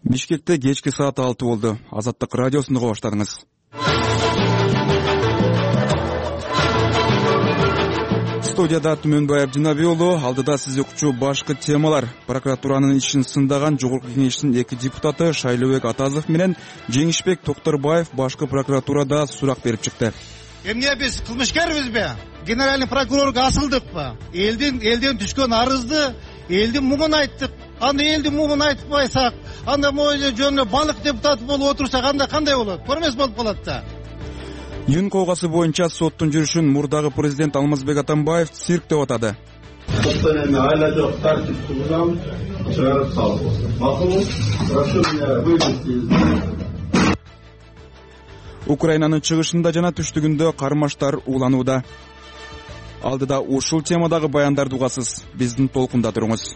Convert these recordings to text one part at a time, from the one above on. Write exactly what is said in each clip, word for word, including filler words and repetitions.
Бишкекте кечки саат алты болду. Азаттык радиосун уга баштадыңыз. Студияда Түмөнбай Абдинаби уулу. Алдыда сизди укчу башкы темалар. Прокуратуранын ишин сындаган Жогорку Кеңештин эки депутаты Шайлообек Атазов менен Жеңишбек Токтурбаев башкы прокуратурада сурак берип чыкты. Эмне биз кылмышкербизби? Генеральный прокурорго асылдыкпы? Элдин элден түшкөн арызды элдин муңун айттык. Анда элдин муңун айтпайсак, анда моюнда жөнүнө балык депутаты болуп отурсак, анда кандай болот? Көрмөс болуп калат да. Юн кылгасы боюнча соттун жүрүшүн мурдагы президент Алмазбек Атамбаев цирк деп атады. Соттон эми айла жок тартип кылгам, чыгарып салып. Макулбуз, прошу меня вывести. Украинанын чыгышында жана түштүгүндө кармаштар ууланууда. Алдыда ушул темадагы баяндарды угасыз. Биздин толкунда туруңуз.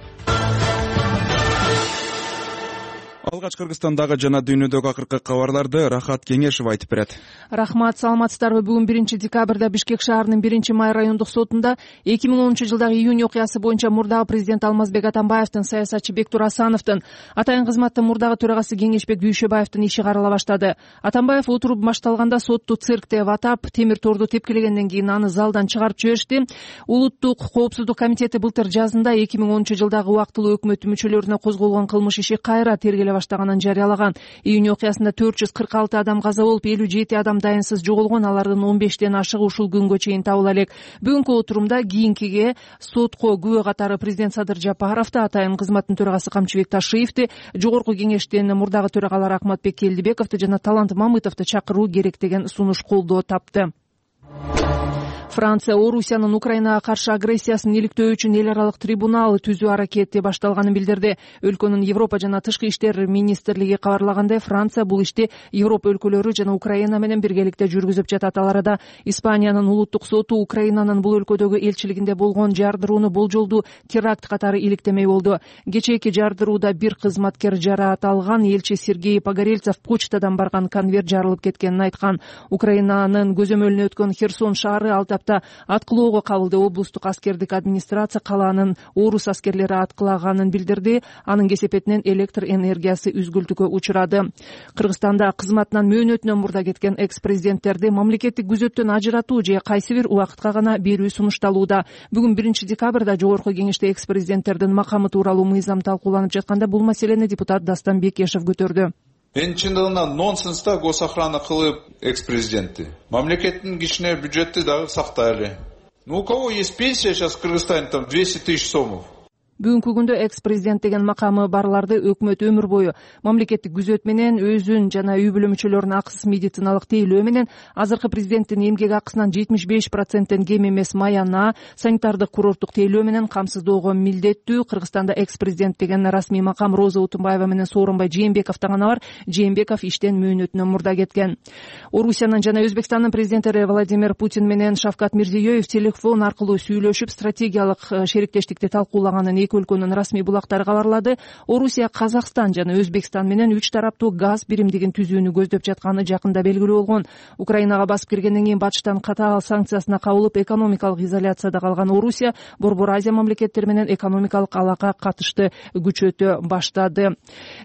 Алгач Кыргызстандагы жана дүйнөдөгү акыркы кабарларды Рахат Кеңешев айтып берет. Рахмат, саламатсыздарбы? Бүгүн биринчи декабрда Бишкек шаарынын биринчи май райондук сотунда эки миң онунчу жылдагы июнь окуясы боюнча мурдагы президент Алмазбек Атамбаевдин, саясатчы Бектур Асановдун, атайын кызматтын мурдагы төрагасы Кеңешбек Дүйшөбаевдин иши карала баштады. Атамбаев отуруп башталганда сотту цирк деп атап, темир торду тепкилегенден кийин аны залдан чыгарып жиберишти. Улуттук коопсуздук комитети былтыр жазында эки миң онунчу жылдагы убактылуу өкмөт мүчөлөрүнө козголгон кылмыш иши кайра тергеле баштаганын жарыялаган. Июнь окуясында төрт жүз кырк алты адам каза болуп, элүү жети адам дайынсыз жоголгон, алардын он бештен ашыгы ушул күнгө чейин табыла элек. Бүгүнкү отурумда кийинкиге сотко күбө катары президент Садыр Жапаровду, атайын кызматтын төрагасы Камчыбек Ташиевди, Жогорку Кеңештин мурдагы төрагалары Акматбек Келдибековду жана Талант Мамытовду чакыруу керек деген сунуш колдоо тапты. Франция Орусиянын Украинага каршы агрессиясын иликтөө үчүн эл аралык трибунал түзүү аракети башталганын билдирди. Өлкөнүн Европа жана Тышкы иштер министрлиги кабарлагандай, Франция бул ишти Европа өлкөлөрү жана Украина менен биргеликте жүргүзүп жатат. Ал арада Испаниянын улуттук соту Украинанын бул өлкөдөгү элчилигинде болгон жардырууну болжолдуу теракт катары иликтемей болду. Кечээки жардырууда бир кызматкер жараат алган. Элчи Сергей Погорельцев почтадан барган конверт жарылып кеткенин айткан. Украинанын көзөмөлүнө өткөн Херсон шаары ал тапта аткылоого кабылды. Облустук аскердик администрация калаанын орус аскерлери аткылаганын билдирди. Анын кесепетинен электр энергиясы үзгүлтүккө учурады. Кыргызстанда кызматынан мөөнөтүнөн мурда кеткен экс-президенттерди мамлекеттик күзөттөн ажыратуу же кайсы бир убакытка гана берүү сунушталууда. Бүгүн биринчи декабрда Жогорку Кеңеште экс-президенттердин макамы тууралуу мыйзам талкууланып жатканда бул маселени депутат Дастан Бекешев көтөрдү. Эң чындыгында нонсенста госохрана кылып экс-президентти. Мамлекеттин кичине бюджетти дагы сактайлы. Ну у кого есть пенсия сейчас в Кыргызстане, там двести тысяч сомов? Бүгүнкү күндө экс-президент деген макамы барларды өкмөт өмүр бою мамлекеттик күзөт менен өзүн жана үй бүлө мүчөлөрүнүн акысыз медициналык тейлөө менен азыркы президенттин эмгек акысынан жетимиш беш проценттен кем эмес маяна санитардык курорттук тейлөө менен камсыздоого милдеттүү. Кыргызстанда экс-президент деген расмий макам Роза Утунбаева менен Сооронбай Жээнбековдо гана бар. Жээнбеков иштен мөөнөтүнөн мурда кеткен. Орусиянын жана Өзбекстандын президенттери Владимир Путин менен Шавкат Мирзиёев телефон аркылуу сүйлөшүп стратегиялык шериктештикти талкуулаганын өлкөнүн расмий булактары кабарлады. Орусия Казакстан жана Өзбекстан менен үч тараптуу газ биримдигин түзүүнү көздөп жатканы жакында белгилүү болгон. Украинага басып киргенден кийин батыштан катаал санкциясына кабылып, экономикалык изоляцияда калган Орусия Борбор Азия мамлекеттери менен экономикалык алака катышты күчөтө баштады.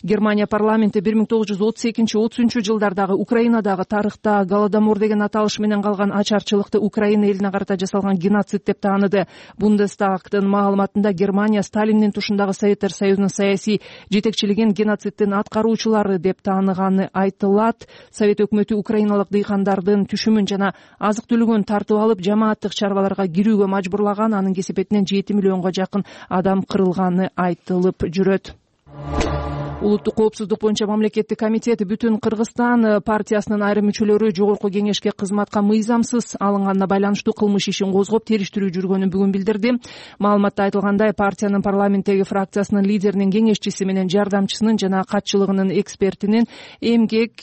Германия парламенти бир миң тогуз жүз отуз экинчи отуз үчүнчү жылдардагы Украинадагы тарыхта Голодомор деген аталыш менен калган ачарчылыкты Украина элине карата жасалган геноцид деп тааныды. Бундестагтын маалыматында Германия Сталиндин тушундагы Советтер Союзунун саясий жетекчилигин геноцидтин аткаруучулары деп тааныганы айтылат. Совет өкмөтү украиналык дыйкандардын түшүмүн жана азык түлүгүн тартып алып, жамааттык чарбаларга кирүүгө мажбурлаган. Анын кесепетинен жети миллионго жакын адам кырылганы айтылып жүрөт. Улуттук коопсуздук боюнча мамлекеттик комитет Бүтүн Кыргызстан партиясынын айрым мүчөлөрү Жогорку Кеңешке кызматка мыйзамсыз алынганына байланыштуу кылмыш ишин козгоп териштирүү жүргөнүн бүгүн билдирди. Маалыматта айтылгандай, партиянын парламенттеги фракциясынын лидеринин кеңешчиси менен жардамчысынын жана катчылыгынын экспертинин эмгек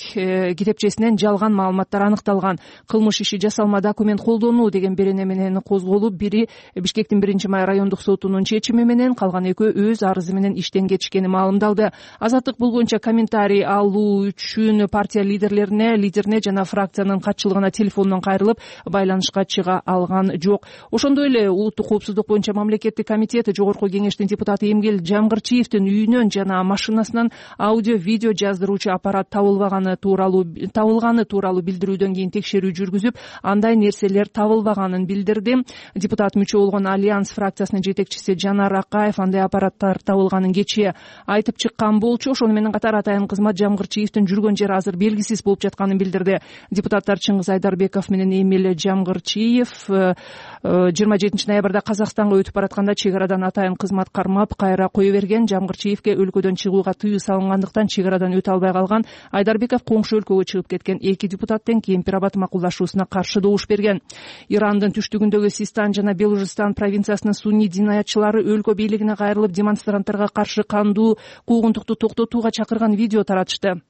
китепчесинен жалган маалыматтар аныкталган. Кылмыш иши жасалма документ колдонуу деген берене менен козголуп, бири Бишкектин биринчи май райондук сотунун чечими менен, калган экөө өз арызы менен иштен кетишкени маалымдалды. Азаттык бул боюнча комментарий алуу үчүн партия лидерлерине лидерине жана фракциянын катчылыгына телефондон кайрылып байланышка чыга алган жок. Ошондой эле улуттук коопсуздук боюнча мамлекеттик комитет Жогорку кеңештин депутаты Эмгел Жамгырчиевдин үйүнөн жана машинасынан аудио видео жаздыруучу аппарат табылбаганы тууралуу табылганы тууралуу билдирүүдөн кийин текшерүү жүргүзүп, андай нерселер табылбаганын билдирди. Депутат мүчө болгон Альянс фракциясынын жетекчиси Жанар Акаев андай аппараттар табылганын кечээ айтып чыккан болчу. Ошону менен катар атайын кызмат Жамгырчиевдин жүргөн жери азыр белгисиз болуп жатканын билдирди. Депутаттар Чыңгыз Айдарбеков менен Эмил Жамгырчиев жыйырма жетинчи ноябрда Казакстанга өтүп баратканда чек арадан атайын кызмат кармап кайра кое берген. Жамгырчиевге өлкөдөн чыгууга тыюу салынгандыктан чек арадан өтө албай калган. Айдарбеков коңшу өлкөгө чыгып кеткен. Эки депутаттын Кемпир-Абад макулдашуусуна каршы добуш берген. Ирандын түштүгүндөгү Систан жана Белужистан провинциясынын сунний динаятчылары өлкө бийлигине кайрылып демонстранттарга каршы кандуу куугунтукту токтотууга чакырган видео таратышты.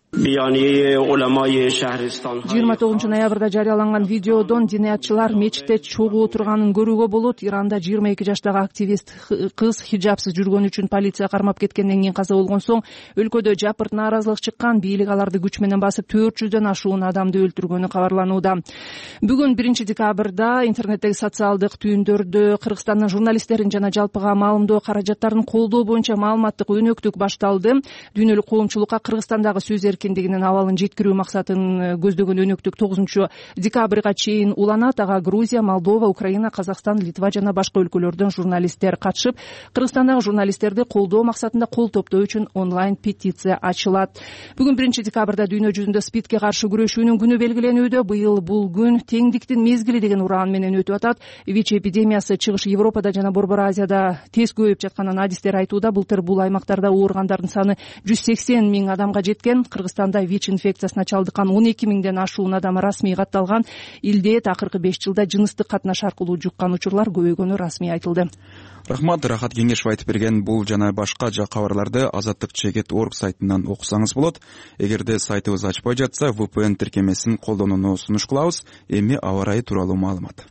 жыйырма тогузунчу ноябрда жарыяланган видеодон динаятчылар мечитте чогуу отурганын көрүүгө болот. Иранда жыйырма эки жаштагы активист кыз хиджабсыз жүргөнү үчүн полиция кармап кеткенден кийин каза болгон соң өлкөдө жапырт нааразылык чыккан. Бийлик аларды күч менен басып төрт жүздөн ашуун адамды өлтүргөнү кабарланууда. Бүгүн биринчи декабрда интернеттеги социалдык түйүндөрдө Кыргызстандын журналисттерин жана жалпыга маалымдоо каражаттарын колдоо боюнча маалыматтык өнөктүк башталды. Дүйнөлүк коомчулукка Кыргызстандагы сөз эркиндигинин абалын жеткирүү максатын көздөгөн өнөктүк тогузунчу декабрга чейин уланат. Ага Грузия, Молдова, Украина, Казакстан, Литва жана башка өлкөлөрдөн журналисттер катышып, Кыргызстандагы журналисттерди колдоо максатында кол топтоо үчүн онлайн петиция ачылат. Бүгүн биринчи декабрда дүйнө жүзүндө СПИДке каршы күрөшүүнүн күнү белгиленүүдө. Быйыл бул күн теңдиктин мезгили деген ураан менен өтүп атат. ВИЧ эпидемиясы чыгыш Европада жана Борбор Азияда тез көбөйүп жатканын адистер айтууда. Былтыр бул аймактарда ооругандардын саны жүз сексен миң адамга жеткен. Кыргызстанда ВИЧ инфекциясына чалдыккан он эки миңден ашуун адам расмий катталган. Илде акыркы беш жылда жыныстык катнаш аркылуу жуккан учурлар көбөйгөнү расмий айтылды. Рахмат, Рахат Кеңешев айтып берген бул жана башка жак кабарларды азаттык чегет точка орг сайтынан окусаңыз болот. Эгерде сайтыбыз ачпай жатса, ви пи эн тиркемесин колдонууну сунуш кылабыз. Эми аба ырайы тууралуу маалымат.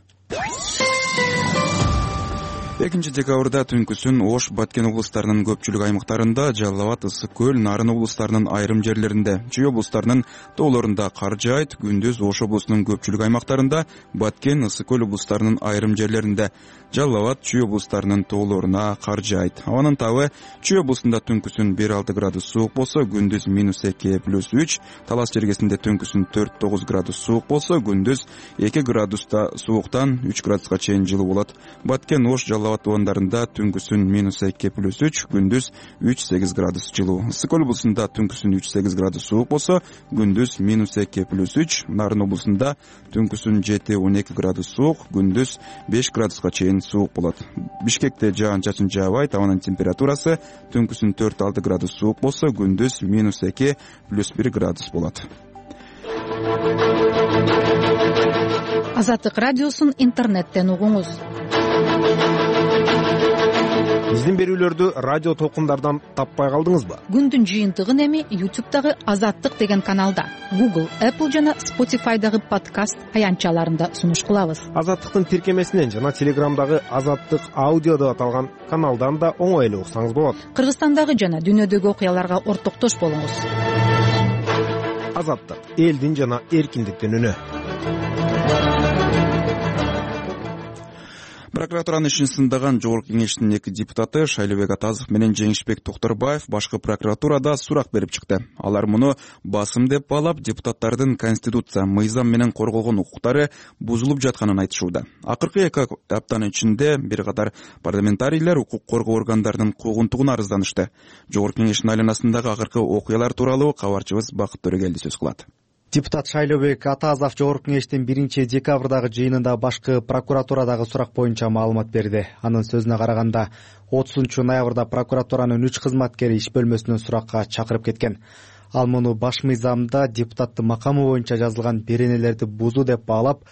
экинчи декабрда түнкүсүн Ош, Баткен облустарынын көпчүлүк аймактарында, Жалал Абад, Ысык көл, Нарын облустарынын айрым жерлеринде, Чүй облустарынын тоолорунда кар жаайт. Күндүз Ош облусунун көпчүлүк аймактарында, Баткен, Ысык көл облустарынын айрым жерлеринде, Жалал Абад, Чүй облустарынын тоолоруна кар жаайт. Абанын табы Чүй облусунда түнкүсүн бир алты градус суук болсо, күндүз минус эки плюс үч, Талас жергесинде түнкүсүн төрт тогуз градус суук болсо, күндүз эки градуста сууктан үч градуска чейин жылуу болот. Баткен, Ош, Жалал Абад туугандарында түнкүсүн минус эки плюс үч, күндүз үч сегиз градус жылуу. Ысык көл облусунда түнкүсүн үч сегиз градус суук болсо, күндүз минус эки плюс үч, Нарын облусунда түнкүсүн жети он эки градус суук, күндүз беш градуска чейин суук болот. Бишкекте жаан-чачын жаабайт, абанын температурасы түнкүсүн төрт алты градус суук болсо, күндүз минус эки плюс бир градус болот. Азаттык радиосун интернеттен угуңуз. Биздин берүүлөрдү радио толкундардан таппай калдыңызбы? Күндүн жыйынтыгын эми ютубтагы Азаттык деген каналда, Google, Apple жана Spotify'дагы подкаст аянтчаларында сунуш кылабыз. Азаттыктын тиркемесинен жана Телеграмдагы Азаттык аудио деп аталган каналдан да оңой эле уксаңыз болот. Кыргызстандагы жана дүйнөдөгү окуяларга ортоктош болуңуз. Азаттык, элдин жана эркиндиктин үнү. Прокуратуранын ишин сындаган Жогорку кеңештин эки депутаты Шайлообек Атазов менен Жеңишбек Токторбаев башкы прокуратурада сурак берип чыкты. Алар муну басым деп баалап, депутаттардын конституция, мыйзам менен корголгон укуктары бузулуп жатканын айтышууда. Акыркы эки аптанын ичинде бир катар парламентарийлер укук коргоо органдарынын куугунтугуна арызданышты. Жогорку кеңештин айланасындагы акыркы окуялар тууралуу кабарчыбыз Бакыт Төрөгелди сөз кылат. Депутат Шайлообек Атазов Жогорку кеңештин биринчи декабрдагы жыйынында башкы прокуратурадагы сурак боюнча маалымат берди. Анын сөзүнө караганда, отузунчу ноябрда прокуратуранын үч кызматкери иш бөлмөсүнөн суракка чакырып кеткен. Ал муну баш мыйзамда депутаттын макамы боюнча жазылган беренелерди бузуу деп баалап,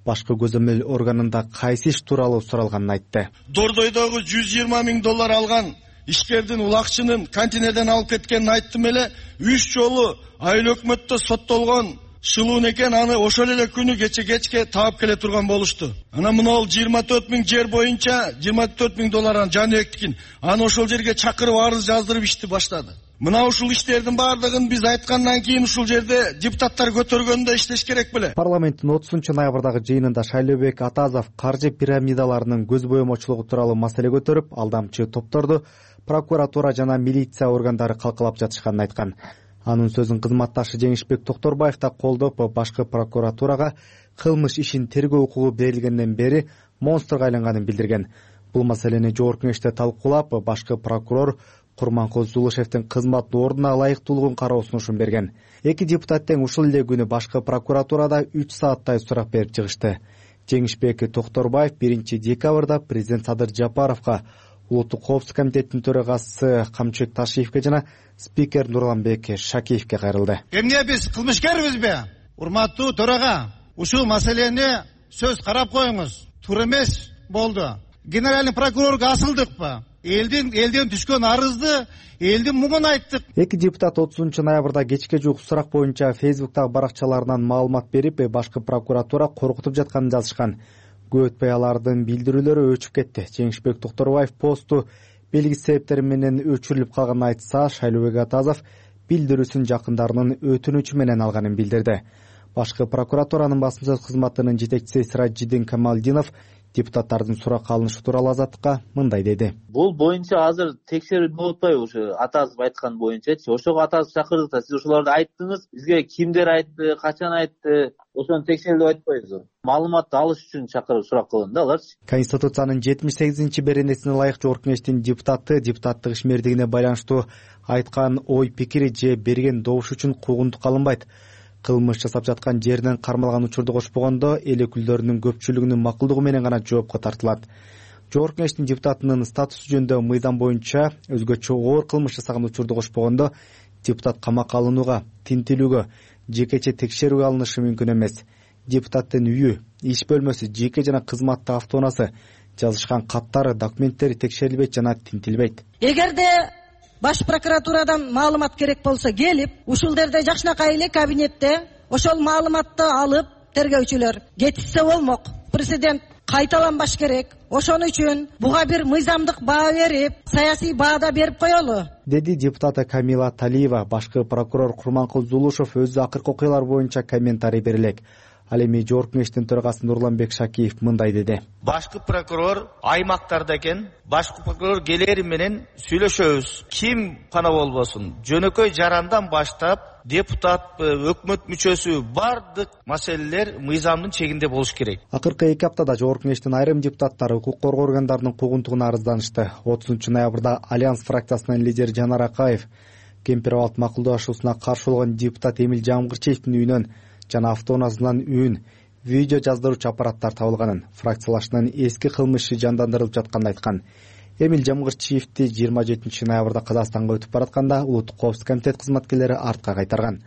башкы көзөмөл органында кайсы иш тууралуу суралганын айтты. Дордойдогу жүз жыйырма миң доллар алган ишкердин улакчынын контейнерден алып кеткенин айттым эле. Үч жолу айыл өкмөттө соттолгон шылуун экен, аны ошол эле күнү кече кечке таап келе турган болушту. Анан мына жыйырма төрт миң жер боюнча жыйырма төрт миң доллар Жаныбектикин. Аны ошол жерге чакырып арыз жаздырып ишти баштады. Мына ушул иштердин баардыгын биз айткандан кийин ушул жерде депутаттар көтөргөндө иштеш керек беле? Парламенттин отузунчу ноябрдагы жыйынында Шайлообек Атазов каржы пирамидаларынын көз боемочулугу тууралуу маселе көтөрүп, алдамчы топторду прокуратура жана милиция органдары калкалап жатышканын айткан. Анын сөзүн кызматташы Жеңишбек Токторбаев да колдоп, башкы прокуратурага кылмыш ишин тергөө укугу берилгенден бери монстрго айланганын билдирген. Бул маселени жогорку кеңеште талкуулап, башкы прокурор Курманкул Зулушевдин кызмат ордуна ылайыктуулугун кароо сунушун берген. Эки депутат тең ушул эле күнү башкы прокуратурада үч сааттай сурак берип чыгышты. Жеңишбек Токторбаев биринчи декабрда президент Садыр Жапаровго, Улуттук коопсуздук комитетинин төрагасы Камчыбек Ташиевке жана спикер Нурланбек Шакиевке кайрылды. Эмне биз кылмышкербизби? Урматтуу төрага, ушул маселени сөз карап коюңуз. Туура эмес болду. Генеральный прокурорго асылдыкпы? Элдин элден түшкөн арызды элдин муңун айттык. Эки депутат отузунчу ноябрда кечке жуук сурак боюнча Фейсбуктагы баракчаларынан маалымат берип, башкы прокуратура коркутуп жатканын жазышкан. Көп өтпөй алардын билдирүүлөрү өчүп кетти. Жеңишбек Токторбаев посту белгисиз себептер менен өчүрүлүп калганын айтса, Шайлообек Атазов билдирүүсүн жакындарынын өтүнүчү менен алганын билдирди. Башкы прокуратуранын басма сөз кызматынын жетекчиси Сиражиддин Камалдинов депутаттардын сурак алынышы тууралуу Азаттыкка мындай деди. Бул боюнча азыр текшерүү болуп атпайбы? Ушу Атазов айткан боюнчачы. Ошого Атазов чакырдык да, сиз ошолорду айттыңыз. Бизге кимдер айтты, качан айтты, ошону текшерүү деп айтпайбызбы? Маалыматты алыш үчүн чакырып сурак кылган да аларчы. Конституциянын жетимиш сегизинчи беренесине ылайык жогорку кеңештин депутаты депутаттык ишмердигине байланыштуу айткан ой пикири же берген добуш үчүн куугунтукка алынбайт. Кылмыш жасап жаткан жеринен кармалган учурду кошпогондо эл өкүлдөрүнүн көпчүлүгүнүн макулдугу менен гана жоопко тартылат. Жогорку кеңештин депутатынын статусу жөнүндө мыйзам боюнча өзгөчө оор кылмыш жасаган учурду кошпогондо депутат камакка алынууга, тинтилүүгө, жекече текшерүүгө алынышы мүмкүн эмес. Депутаттын үйү, иш бөлмөсү, жеке жана кызматтык автоунаасы, жазышкан каттары, документтери текшерилбейт жана тинтилбейт. Эгерде Баш прокуратурадан маалымат керек болсо келип, ушул жерде жакшынакай эле кабинетте ошол маалыматты алып тергөөчүлөр кетишсе болмок. Президент кайталанбаш керек. Ошон үчүн буга бир мыйзамдык баа берип, саясий баада берип коелу, деди депутаты Камила Талиева. Башкы прокурор Курманкул Зулушев өзү акыркы окуялар боюнча комментарий берелек. Ал эми жогорку кеңештин төрагасы Нурланбек Шакиев мындай деди. Башкы прокурор аймактарда экен, башкы прокурор келери менен сүйлөшөбүз. Ким гана болбосун, жөнөкөй жарандан баштап депутат, өкмөт мүчөсү бардык маселелер мыйзамдын чегинде болуш керек. Акыркы эки аптада жогорку кеңештин айрым депутаттары укук коргоо органдарынын куугунтугуна арызданышты. отузунчу ноябрда Альянс фракциясынын лидери Жанар Акаев Кемпир-Абад макулдашуусуна каршы болгон депутат Эмил Жамгырчиевдин үйүнөн жана автоунаасынан үн, видео жаздыруучу аппараттар табылганын, фракциялашынын эски кылмышы жандандырылып жатканын айткан. Эмил Жамгырчиевди жыйырма жетинчи ноябрда Казакстанга өтүп баратканда Улуттук коопсуздук комитет кызматкерлери артка кайтарган.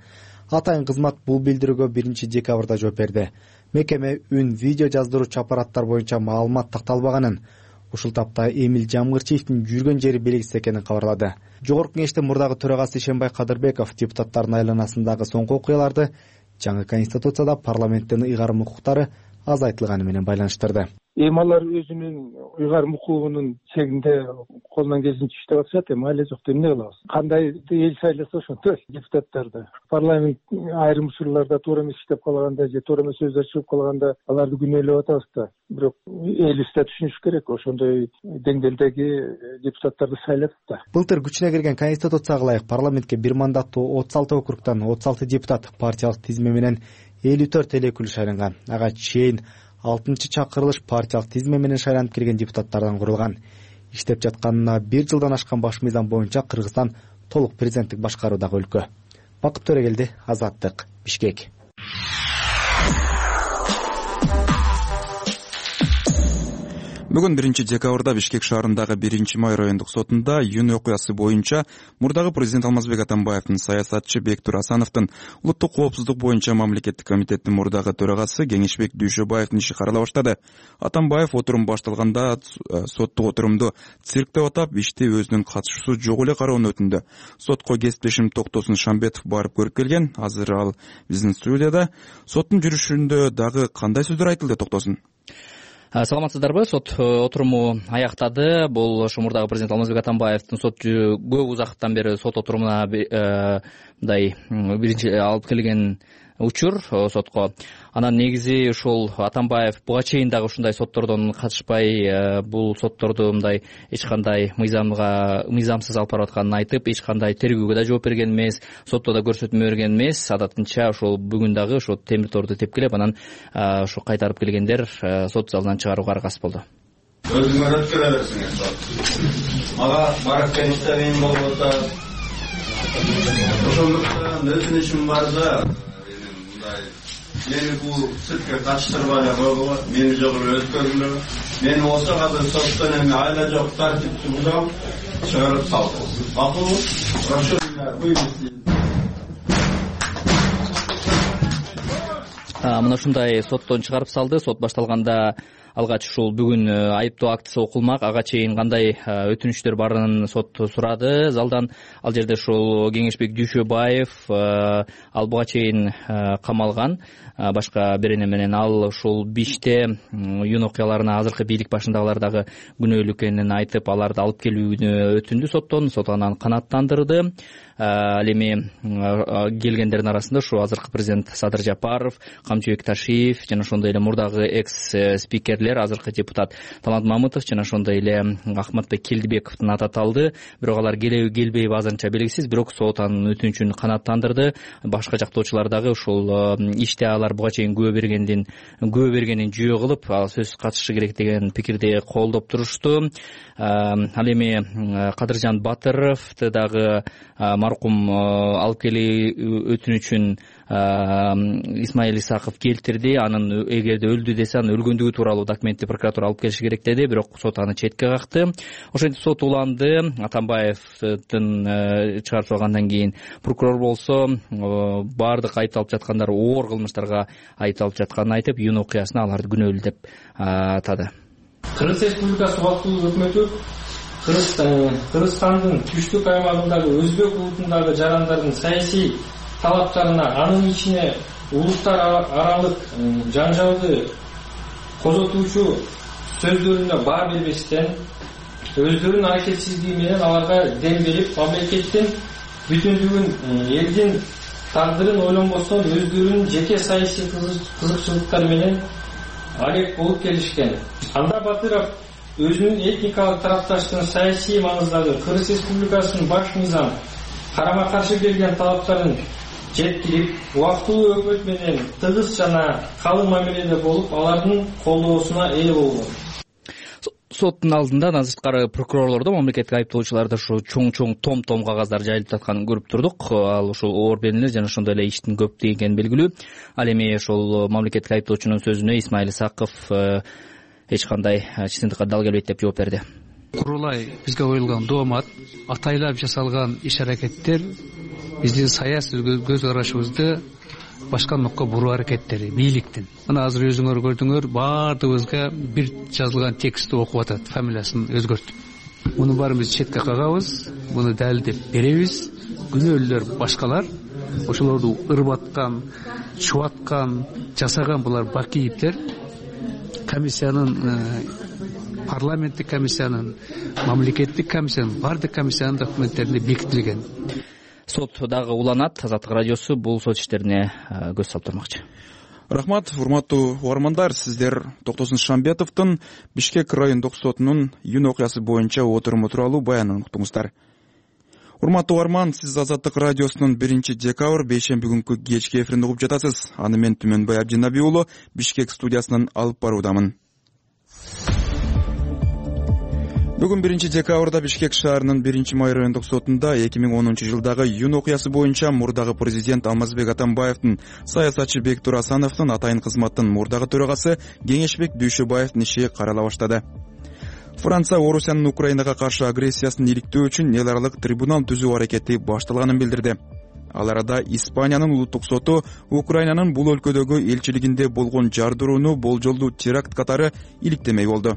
Атайын кызмат бул билдирүүгө биринчи декабрда жооп берди. Мекеме үн, видео жаздыруучу аппараттар боюнча маалымат такталбаганын, ушул тапта Эмил Жамгырчиевдин жүргөн жери белгисиз экенин кабарлады. Жогорку кеңештин мурдагы төрагасы Ишенбай Кадырбеков депутаттардын айланасындагы соңку окуяларды жаңы конституцияда парламенттин ыйгарым укуктары азайтылганы менен байланыштырды. Эми алар өзүнүн ыйгарым укугунун чегинде колунан келишинче иштеп атышат, эми айле жок эмне кылабыз? Кандай эл шайласа ошондой депутаттарды. Парламент айрым учурларда туура эмес иштеп калганда же туура эмес сөздөр чыгып калганда аларды күнөөлөп атабыз да. Бирок элибиз да түшүнүш керек, ошондой деңгээлдеги депутаттарды шайлатып да. Былтыр күчүнө кирген конституцияга ылайык парламентке бир мандаттуу отуз алты округдан отуз алты депутат партиялык тизме менен элүү төрт эл өкүлү шайланган. Ага чейин алтынчы чакырылыш партиялык тизме менен шайланып келген депутаттардан курулган. Иштеп жатканына бир жылдан ашкан баш мыйзам боюнча Кыргызстан толук президенттик башкаруудагы өлкө. Бакыт Төрөгелди, Азаттык, Бишкек. Бүгүн биринчи декабрда Бишкек шаарындагы биринчи май райондук сотунда июнь окуясы боюнча мурдагы президент Алмазбек Атамбаевдин, саясатчы Бектур Асановдун, улуттук коопсуздук боюнча мамлекеттик комитеттин мурдагы төрагасы Кеңешбек Дүйшөбаевдин иши карала баштады. Атамбаев отурум башталганда соттук отурумду цирк деп атап, ишти өзүнүн катышуусу жок эле кароону өтүндү. Сотко кесиптешим Токтосун Шамбетов барып көрүп келген. Азыр ал биздин студияда. Соттун жүрүшүндө дагы кандай сөздөр айтылды, Токтосун? Саламатсыздарбы? Сот отуруму аяктады. Бул ошо мурдагы президент Алмазбек Атамбаевдин сот көп узактан бери сот отурумуна мындай биринчи алып келген учур сотко. Анан негизи ушул Атамбаев буга чейин дагы ушундай соттордон катышпай, бул сотторду мындай эч кандай мыйзамга мыйзамсыз алып барып атканын айтып, эч кандай тергөөгө да жооп берген эмес, сотто да көрсөтмө берген эмес. Адатынча ошол бүгүн дагы ошо темир торду тепкилеп, анан ошо кайтарып келгендер сот залынан чыгарууга аргасыз болду. Өзүңөр өткөрө берсиңер. Мага барып келиште кыйын болуп атат. Ошондуктан өтүнүшүм бар да, мени бул циркке катыштырбай эле койгула, мени жогору өткөрүлө. Мени болсо азыр соттон эми айла жок тартипти бузам, чыгарып салды. Макулбу? Прошу меня вывести. Мына ушундай соттон чыгарып салды. Сот башталганда алгач ушул бүгүн айыптоо актысы окулмак, ага чейин кандай өтүнүчтөр барын сот сурады залдан. Ал жерде ушул Кеңешбек Дүйшөбаев ал буга чейин камалган. Башка берене менен ал ушул биште июнь окуяларына азыркы бийлик башындагылар дагы күнөөлүү экенин айтып, аларды алып келүүнү өтүндү соттон. Сот анан канааттандырды. Ал эми келгендердин арасында ушу азыркы президент Садыр Жапаров, Камчыбек Ташиев жана ошондой эле мурдагы экс спикерлер, азыркы депутат Талант Мамытов жана ошондой эле Ахматбек Келдибековдун аты аталды. Бирок алар келеби келбейби азырынча белгисиз. Бирок сот анын өтүнүчүн канааттандырды. Башка жактоочулар дагы ушул иште алар буга чейин күбө бергендин күбө бергенин жүйө кылып, сөзсүз катышы керек деген пикирди колдоп турушту. Ал эми Кадыржан Батыровду дагы маркум алып келүү өтүнүчүн Исмаил Исаков келтирди. Анын эгерде өлдү десе, анын өлгөндүгү тууралуу документти прокуратура алып келиши керек деди. Бирок сот аны четке какты. Ошентип сот уланды. Атамбаевдин чыгарып салгандан кийин прокурор болсо баардык айыпталып жаткандар оор кылмыштарга айыпталып жатканын айтып, июнь окуясына аларды күнөөлүү деп атады. Кыргыз Республикасы убактылуу өкмөтү Кыргызстандын түштүк аймагындагы өзбек улутундагы жарандардын саясий талаптарына, анын ичине улуттар аралык жаңжалды козотуучу сөздөрүнө баа бербестен, өздөрүнүн аракетсиздиги менен аларга дем берип, мамлекеттин бүтүндүгүн, элдин тагдырын ойлонбостон өздөрүнүн жеке саясий кызыкчылыктары менен алек болуп келишкен. Анда Батыров өзүнүн этникалык тарапташтын саясий маңыздагы Кыргыз Республикасынын баш мыйзам карама каршы келген талаптарын жеткирип, убактылуу өкмөт менен тыгыз жана калың мамиледе болуп, алардын колдоосуна ээ болгон. Соттун алдында сырткары прокурорлордо, мамлекеттик айыптоочуларда ушу чоң-чоң том-том кагаздар жайылып жатканын көрүп турдук. Ал ушул оор беренелер жана ошондой эле иштин көптүгү экени белгилүү. Ал эми ошол мамлекеттик айыптоочунун сөзүнө Исмаил Исаков эч кандай чындыкка дал келбейт деп жооп берди. Курулай бизге коюлган доомат, атайлап жасалган иш-аракеттер биздин саясий көз карашыбызды башка нукка буруу аракеттери бийликтин. Мына азыр өзүңөр көрдүңөр, баардыгыбызга бир жазылган текстти окуп атат, фамилиясын өзгөртүп. Муну баарын биз четке кагабыз, муну далилдеп беребиз. Күнөөлүүлөр башкалар, ошолорду ырбаткан, чубаткан, жасаган булар Бакиевдер. Комиссиянын, парламенттик комиссиянын, мамлекеттик комиссиянын, бардык комиссиянын документтеринде бекитилген. Сот дагы уланат. Азаттык радиосу бул сот иштерине көз салып турмакчы. Рахмат, урматтуу угармандар. Сиздер Токтосун Шамбетовдун Бишкек райондук сотунун июнь окуясы боюнча отуруму тууралуу баянын уктуңуздар. Урматтуу угарман, сиз Азаттык радиосунун биринчи декабрь бейшемби күнкү кечки эфиринде угуп жатасыз. Аны мен Түмөнбай Абдинаби уулу Бишкек студиясынан алып баруудамын. Бүгүн биринчи декабрда Бишкек шаарынын биринчи май райондук сотунда эки миң онунчу жылдагы июнь окуясы боюнча мурдагы президент Алмазбек Атамбаевдин, саясатчы Бектур Асановдун атайын кызматтын мурдагы төрагасы Кеңешбек Дүйшөбаевдин иши карала баштады. Франция Орусиянын Украинага каршы агрессиясын иликтөө үчүн эл аралык трибунал түзүү аракети башталганын билдирди. Ал арада Испаниянын улуттук соту Украинанын бул өлкөдөгү элчилигинде болгон жардырууну болжолдуу теракт катары иликтемей болду.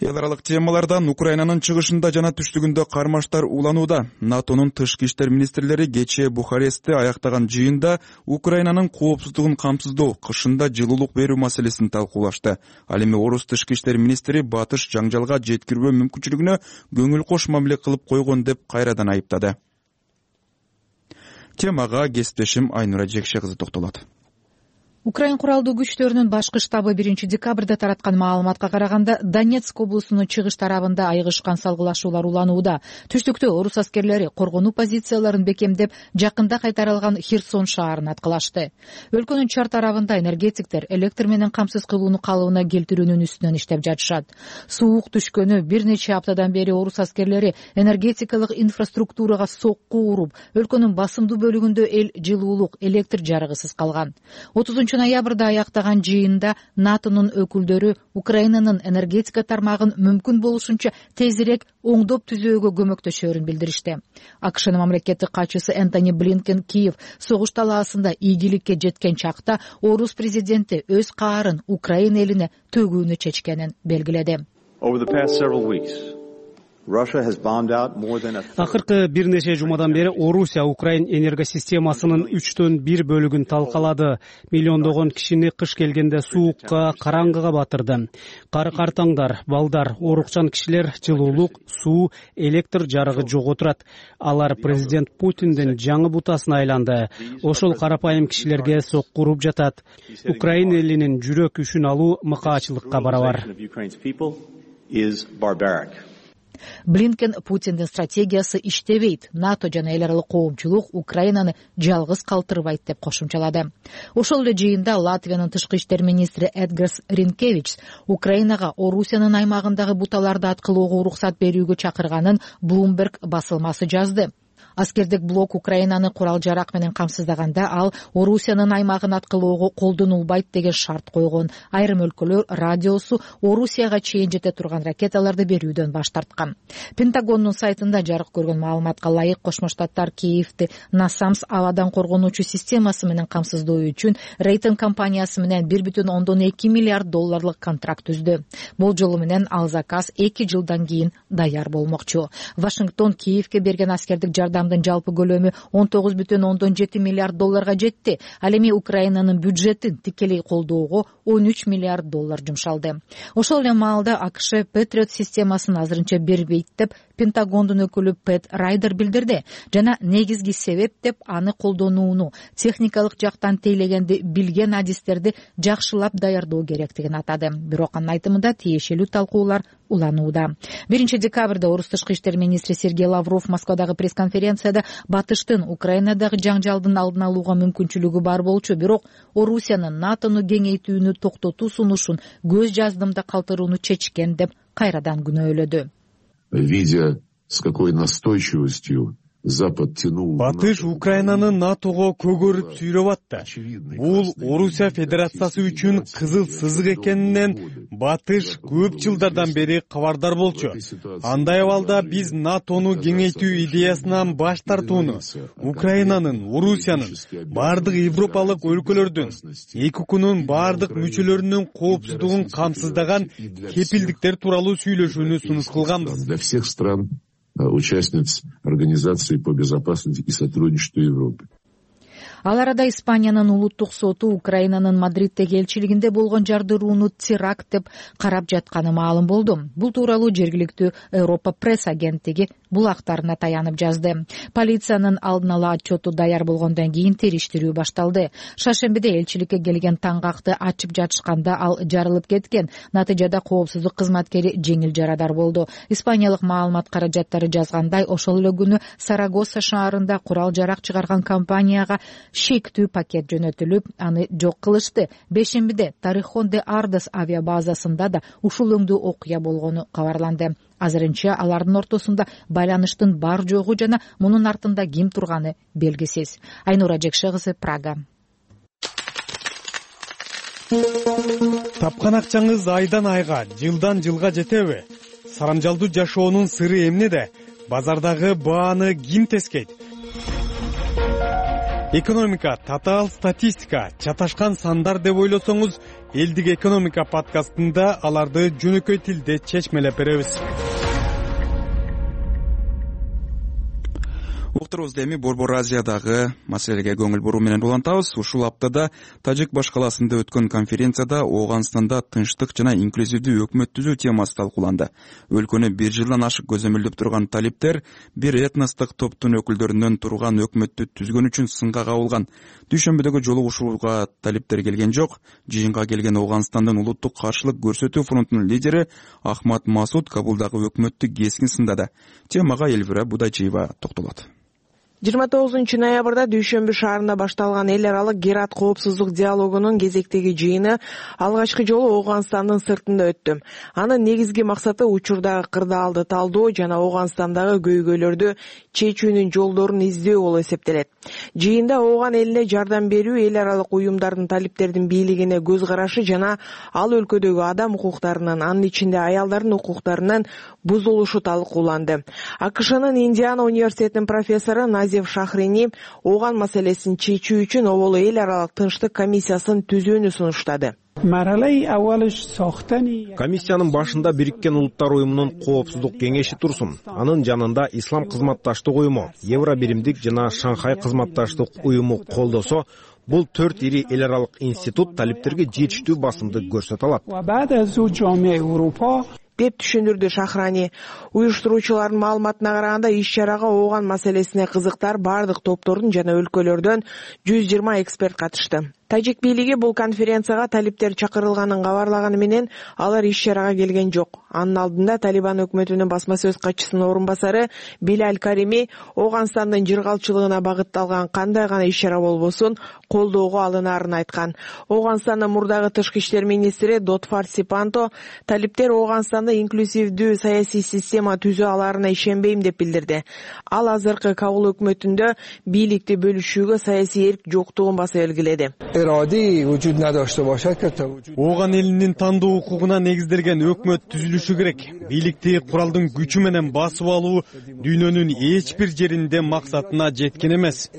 Эл аралык темалардан Украинанын чыгышында жана түштүгүндө кармаштар уланууда. НАТОнун тышкы иштер министрлери кечээ Бухарестте аяктаган жыйында Украинанын коопсуздугун камсыздоо, кышында жылуулук берүү маселесин талкуулашты. Ал эми Орус тышкы иштер министри батыш жаңжалга жеткирүү мүмкүнчүлүгүнө көңүл кош мамиле кылып койгон деп кайрадан айыптады. Темага кесиптешим Айнура Жекше кызы токтолот. Украин куралдуу күчтөрүнүн башкы штабы биринчи декабрда тараткан маалыматка караганда Донецк облусунун чыгыш тарабында айыгышкан салгылашуулар уланууда. Түштүктө орус аскерлери коргонуу позицияларын бекемдеп, жакында кайтарылган Херсон шаарын аткылашты. Өлкөнүн чар тарабында энергетиктер электр менен камсыз кылууну калыбына келтирүүнүн үстүнөн иштеп жатышат. Суук түшкөнү бир нече аптадан бери орус аскерлери энергетикалык инфраструктурага сокку уруп, өлкөнүн басымдуу бөлүгүндө эл жылуулук, электр жарыгысыз калган. отузунчу ноябрда аяктаган жыйында НАТОнун өкүлдөрү Украинанын энергетика тармагын мүмкүн болушунча тезирээк оңдоп түзөөгө көмөктөшөөрүн билдиришти. АКШнын мамлекеттик катчысы Энтони Блинкен Киев согуш талаасында ийгиликке жеткен чакта орус президенти өз каарын Украина элине төгүүнү чечкенин белгиледи. Акыркы бир нече жумадан бери Орусия Украин энергосистемасынын үчтөн бир бөлүгүн талкалады. Миллиондогон кишини кыш келгенде суукка, караңгыга батырды. Кары картаңдар, балдар, оорукчан кишилер жылуулук, суу, электр жарыгы жок отурат. Алар президент Путиндин жаңы бутасына айланды. Ошол карапайым кишилерге сокку уруп жатат. Украин элинин жүрөк күчүн алуу мыкаачылыкка барабар. Блинкен Путиндин стратегиясы иштебейт, НАТО жана эл аралык коомчулук Украинаны жалгыз калтырбайт деп кошумчалады. Ошол эле жыйында Латвиянын тышкы иштер министри Эдгарс Ринкевич Украинага Орусиянын аймагындагы буталарды аткылоого уруксат берүүгө чакырганын Bloomberg басылмасы жазды. Аскердик блок Украинаны курал-жарак менен камсыздаганда ал Орусиянын аймагын аткылоого колдонулбайт деген шарт койгон. Айрым өлкөлөр радиосу Орусияга чейин жете турган ракеталарды берүүдөн баш тарткан. Пентагондун сайтында жарык көргөн маалыматка ылайык Кошмо Штаттар Киевди Насамс абадан коргонуучу системасы менен камсыздоо үчүн Рейтинг компаниясы менен бир бүтүн ондон эки миллиард долларлык контракт түздү. Болжолу менен ал заказ эки жылдан кийин даяр болмокчу. Вашингтон Киевге берген аскердик жардам жалпы көлөмү он тогуз бүтүн ондон жети миллиард долларга жетти. Ал эми Украинанын бюджетин тикелей колдоого он үч миллиард доллар жумшалды. Ошол эле маалда АКШ Патриот системасын азырынча бербейт деп Пентагондун өкүлү Пэт Райдер билдирди жана негизги себеп деп аны колдонууну техникалык жактан тейлегенди билген адистерди жакшылап даярдоо керектигин атады. Бирок анын айтымында тиешелүү талкуулар уланууда. биринчи декабрда орус тышкы иштер министри Сергей Лавров Москвадагы пресс-конференцияда батыштын Украинадагы жаңжалдын алдын алууга мүмкүнчүлүгү бар болчу, бирок Орусиянын НАТОну кеңейтүүнү токтотуу сунушун көз жаздымда калтырууну чечкен деп кайрадан күнөөлөдү. Видя с какой настойчивостью Запад тянул... Батыш Украинаны НАТОго көгөрүп сүйрөп атты. Бул Орусия Федерациясы үчүн кызыл сызык экенинен Батыш көп жылдардан бери кабардар болчу. Андай абалда биз НАТОну кеңейтүү идеясынан баш тартууну, Украинанын, Орусиянын, бардык европалык өлкөлөрдүн, ЭКУКнун бардык мүчөлөрүнүн коопсуздугун камсыздаган кепилдиктер тууралуу сүйлөшүүнү сунуш кылганбыз. Для всех стран участниц Организации по безопасности и сотрудничеству Европы. Ал арада Испаниянын улуттук соту Украинанын Мадриддеги элчилигинде болгон жардырууну теракт деп карап жатканы маалым болду. Бул тууралуу жергиликтүү Европа пресс агенттиги булактарына таянып жазды. Полициянын алдын ала отчету даяр болгондон кийин териштирүү башталды. Шаршембиде элчиликке келген таңгакты ачып жатышканда ал жарылып кеткен. Натыйжада коопсуздук кызматкери жеңил жарадар болду. Испаниялык маалымат каражаттары жазгандай, ошол эле күнү Сарагоса шаарында курал жарак чыгарган компанияга шектүү пакет жөнөтүлүп, аны жок кылышты. Бешембиде Торрехон де Ардес авиабазасында да ушул өңдүү окуя болгону кабарланды. Азырынча алардын ортосунда байланыштын бар жогу жана мунун артында ким турганы белгисиз. Айнура Жекше кызы, Прага. Тапкан акчаңыз айдан айга, жылдан жылга жетеби? Сарамжалдуу жашоонун сыры эмнеде? Базардагы бааны ким тескейт? Экономика, татаал статистика, чаташкан сандар деп ойлосоңуз, Элдик экономика подкастында аларды жөнөкөй тилде чечмелеп беребиз. Уктурубузда эми Борбор Азиядагы маселеге көңүл буруу менен улантабыз. Ушул аптада Тажик баш каласында өткөн конференцияда Ооганстанда тынчтык жана инклюзивдүү өкмөт түзүү темасы талкууланды. Өлкөнү бир жылдан ашык көзөмөлдөп турган талиптер бир этностук топтун өкүлдөрүнөн турган өкмөттү түзгөн үчүн сынга кабылган. Дүйшөмбүдөгү жолугушууга талиптер келген жок. Жыйынга келген Ооганстандын улуттук каршылык көрсөтүү фронтунун лидери Ахмад Масуд Кабулдагы өкмөттү кескин сындады. Темага Элвира Будайчиева токтолот. жыйырма тогузунчу ноябрда Дүйшөмбү шаарында башталган эл аралык Герат коопсуздук диалогунун кезектеги жыйыны алгачкы жолу Ооганстандын сыртында өттү. Анын негизги максаты учурдагы кырдаалды талдоо жана Ооганстандагы көйгөйлөрдү чечүүнүн жолдорун издөө болуп эсептелет. Жыйында Ооган элине жардам берүү, эл аралык уюмдардын талиптердин бийлигине көз карашы жана ал өлкөдөгү адам укуктарынын, анын ичинде аялдардын укуктарынын бузулушу талкууланды. АКШнын Индиана университетинин профессору Назев Шахрини Ооган маселесин чечүү үчүн оболу эл аралык тынчтык комиссиясын түзүүнү сунуштады. Комиссиянын башында Бириккен Улуттар уюмунун коопсуздук кеңеши турсун. Анын жанында Ислам кызматташтык уюму, Евро биримдик жана Шанхай кызматташтык уюму колдосо, бул төрт ири эл аралык институт талиптерге жетиштүү басымды көрсөтө алат деп түшүндүрдү Шахрани. Уюштуруучулардын маалыматына караганда, иш-чарага Ооган маселесине кызыктар бардык топтордун жана өлкөлөрдөн жүз жыйырма эксперт катышты. Тажик бийлиги бул конференцияга талиптер чакырылганын кабарлаганы менен алар иш-чарага келген жок. Анын алдында Талибан өкмөтүнүн басма сөз катчысынын орун басары Билаль Карими Ооганстандын жыргалчылыгына багытталган кандай гана иш-чара болбосун колдоого алынаарын айткан. Ооганстандын мурдагы тышкы иштер министри Дотфар Сипанто талиптер Ооганстанда инклюзивдүү саясий система түзө аларына ишенбейм деп билдирди. Ал азыркы Кабул өкмөтүндө бийликти бөлүшүүгө саясий эрк жоктугун баса белгиледи. Ооган элинин тандоо укугуна негизделген өкмөт түзүлүшү керек. Бийликти куралдын күчү менен басып алуу дүйнөнүн эч бир жеринде максатына жеткен эмес.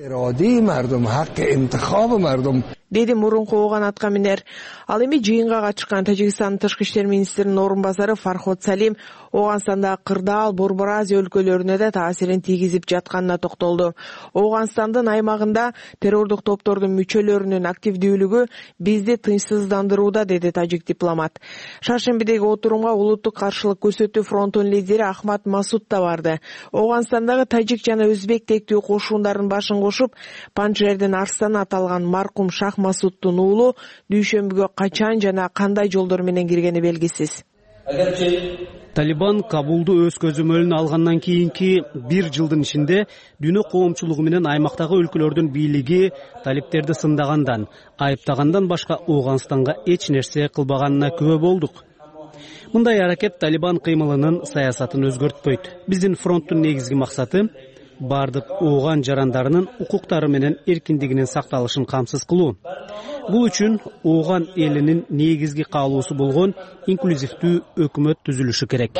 Деди мурунку Ооган атка минер. Ал эми жыйынга катышкан Тажикстандын тышкы иштер министринин орун басары Фарход Салим Ооганстандагы кырдаал, Борбор Азия өлкөлөрүнө да таасирин тийгизип жатканына токтолду. Ооганстандын аймагында террордук топтордун мүчөлөрүнүн активдүүлүгү бизди тынчсыздандырууда, деди тажик дипломат. Шаршембидеги отурумга улуттук каршылык көрсөтүү фронтунун лидери Ахмад Масуд да барды. Ооганстандагы тажик жана өзбек тектүү кошундардын башын кошуп, Панжшердин арстаны аталган маркум Шах Масуддун уулу Дүйшөмбүгө качан жана кандай жолдор менен киргени белгисиз. Талибан Кабулду өз көзөмөлүнө алгандан кийинки бир жылдын ичинде дүйнө коомчулугу менен аймактагы өлкөлөрдүн бийлиги талиптерди сындагандан, айыптагандан башка Ооганстанга эч нерсе кылбаганына күбө болдук. Мындай аракет Талибан кыймылынын саясатын өзгөртпөйт. Биздин фронттун негизги максаты бардык Ооган жарандарынын укуктары менен эркиндигинин сакталышын камсыз кылуу. Бул үчүн Ооган элинин негизги каалоосу болгон инклюзивдүү өкмөт түзүлүшү керек,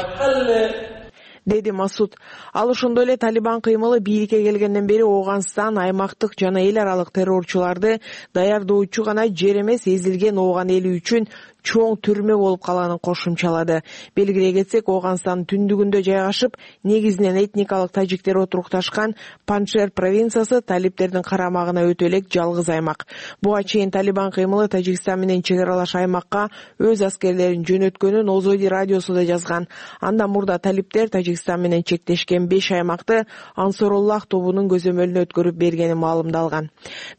деди Масуд. Ал ошондой эле Талибан кыймылы бийликке келгенден бери Ооганстан аймактык жана эл аралык террорчуларды даярдоочу гана жер эмес, эзилген Ооган эли үчүн чоң түрмө болуп калганын кошумчалады. Белгилей кетсек, Ооганстандын түндүгүндө жайгашып, негизинен этникалык тажиктер отурукташкан Паншер провинциясы талиптердин карамагына өтө элек жалгыз аймак. Буга чейин Талибан кыймылы Тажикстан менен чек аралаш аймакка өз аскерлерин жөнөткөнүн Озоди радиосу да жазган. Андан мурда талиптер Тажикстан менен чектешкен беш аймакты Ансоруллах тобунун көзөмөлүнө өткөрүп бергени маалымдалган.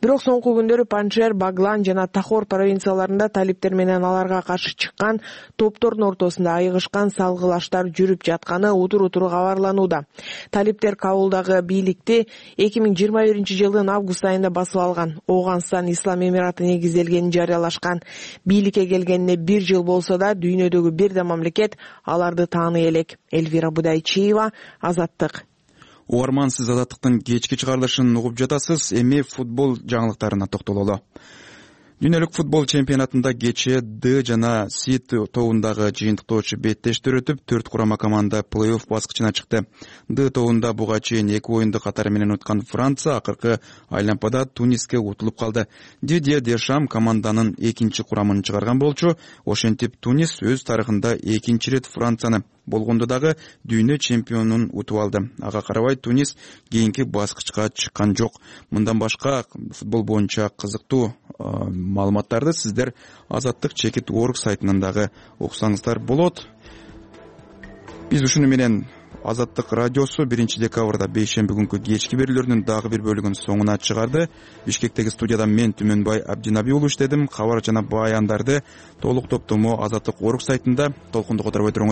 Бирок соңку күндөрү Паншер, Баглан жана Тахор провинцияларында талиптер менен аларга каршы чыккан топтордун ортосунда айыгышкан салгылаштар жүрүп жатканы утур-утур кабарланууда. Талиптер Кабулдагы бийликти эки миң жыйырма биринчи жылдын август айында басып алган. Ооганстан Ислам Эмираты негизделгенин жарыялашкан. Бийликке келгенине бир жыл болсо да, дүйнөдөгү бир да мамлекет аларды тааный элек. Эльвира Будайчиева, Азаттык. Угарман, сиз Азаттыктын кечки чыгарылышын угуп жатасыз. Эми футбол жаңылыктарына токтололу. Дүйнөлүк футбол чемпионатында кечээ Д жана С тобундагы жыйынтыктоочу беттештер өтүп, төрт курама команда плей-офф баскычына чыкты. Д тобунда буга чейин эки оюнду катары менен уткан Франция акыркы айлампада Туниске утулуп калды. Дидье Дешам команданын экинчи курамын чыгарган болчу. Ошентип Тунис өз тарыхында экинчи рет Францияны, болгондо дагы дүйнө чемпионун утуп алды. Ага карабай Тунис кийинки баскычка чыккан жок. Мындан башка футбол боюнча кызыктуу маалыматтарды сиздер Азаттык чекит орг сайтынан дагы окусаңыздар болот. Биз ушуну менен Азаттык радиосу биринчи декабрда бейшемби күнкү кечки берүүлөрүнүн дагы бир бөлүгүн соңуна чыгарды. Бишкектеги студияда мен Түмөнбай Абдинаби уулу иштедим. Кабар жана баяндарды толук топтому Азаттык орг сайтында толкунду которбой туруңуз.